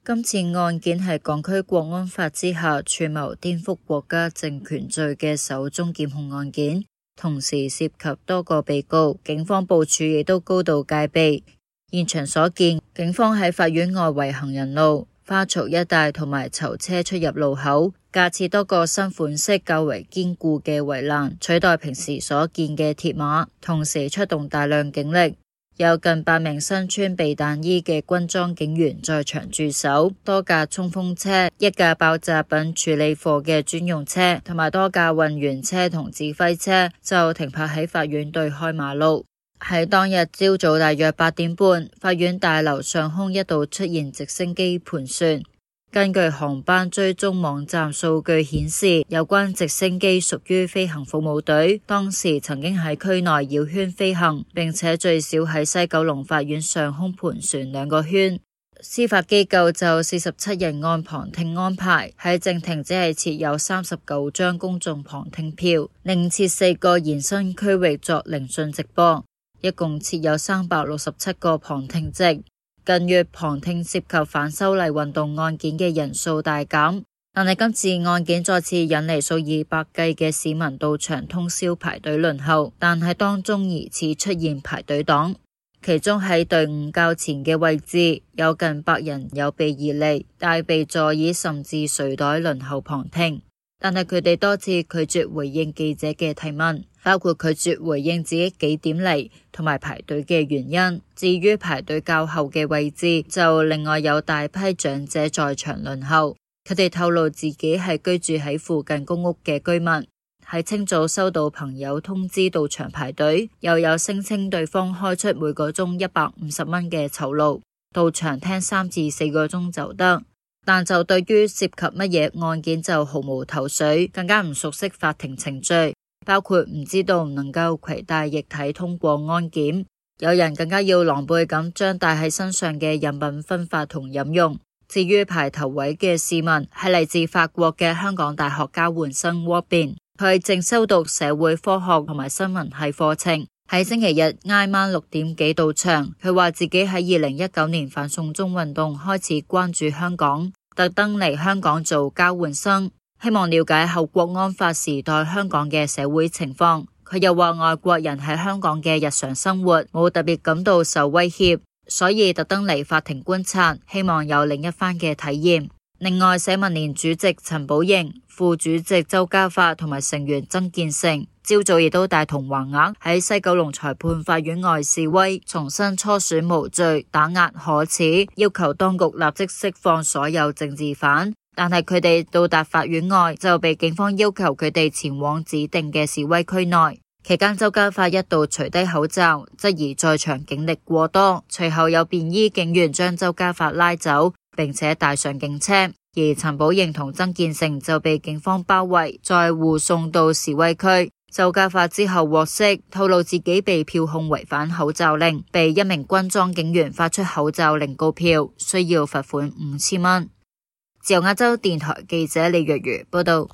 今次案件係港區國安法之下串謀顛覆國家政權罪嘅首宗檢控案件，同時涉及多個被告，警方部署亦都高度戒備。現場所見，警方喺法院外圍行人路、花槽一帶同埋囚車出入路口架設多個新款式較為堅固嘅圍欄，取代平時所見嘅鐵馬，同時出動大量警力，有近8名身穿避彈衣嘅軍裝警員在場駐守，多架衝鋒車、一架爆炸品處理貨嘅專用車同埋多架運員車同指揮車就停泊喺法院對開馬路。喺當日朝早大約8點半，法院大樓上空一度出現直升機盤旋。根據航班追蹤網站數據顯示，有關直升機屬於飛行服務隊，當時曾經喺區內繞圈飛行，並且最少喺西九龍法院上空盤旋2個圈。司法機構就47人案旁聽安排，喺正庭只係設有39張公眾旁聽票，另設4個延伸區域作聆訊直播。一共設有367個旁聽席。近月旁聽涉及反修例運動案件嘅人數大減，但係今次案件再次引嚟數以百計嘅市民到場通宵排隊輪候，但係當中疑似出現排隊黨，其中喺隊伍較前嘅位置有近100人有備而嚟，帶備座椅甚至睡袋輪候旁聽，但係佢哋多次拒絕回應記者嘅提問，包括拒絕回應自己幾點嚟同埋排隊嘅原因。至於排隊較後嘅位置，就另外有大批長者在場輪候，佢哋透露自己係居住喺附近公屋嘅居民，喺清早收到朋友通知到場排隊，又有聲稱對方開出每個鐘150蚊嘅酬勞，到場聽3至4個鐘就得。但就對於涉及乜嘢案件就毫無頭緒，更加唔熟悉法庭程序，包括唔知道唔能夠攜帶液體通過安檢，有人更加要狼狽咁將帶喺身上嘅飲品分發同飲用。至於排頭位嘅市民係嚟自法國嘅香港大學交換生 Robin， 佢正修讀社會科學同埋新聞系課程，喺星期日挨晚6點幾到場。佢話自己喺2019年反送中運動開始關注香港，特登嚟香港做交換生，希望了解後國安法時代香港嘅社會情況。佢又話外國人喺香港嘅日常生活冇特別感到受威脅，所以特登嚟法庭觀察，希望有另一番嘅體驗。另外，社民連主席陳寶瑩、副主席周家發同埋成員曾建成朝早亦都帶同橫額喺西九龍裁判法院外示威，重申初選無罪，打壓可恥，要求當局立即釋放所有政治犯。但係佢哋到達法院外就被警方要求佢哋前往指定嘅示威區內。期間周家發一度除低口罩，質疑在場警力過多，隨後有便衣警員將周家發拉走，並且帶上警車，而陳寶瑩同曾建成就被警方包圍，再護送到示威區。周家發之後獲釋，透露自己被票控違反口罩令，被一名軍裝警員發出口罩令告票，需要罰款5000蚊。自由亞洲電台記者李若如報道。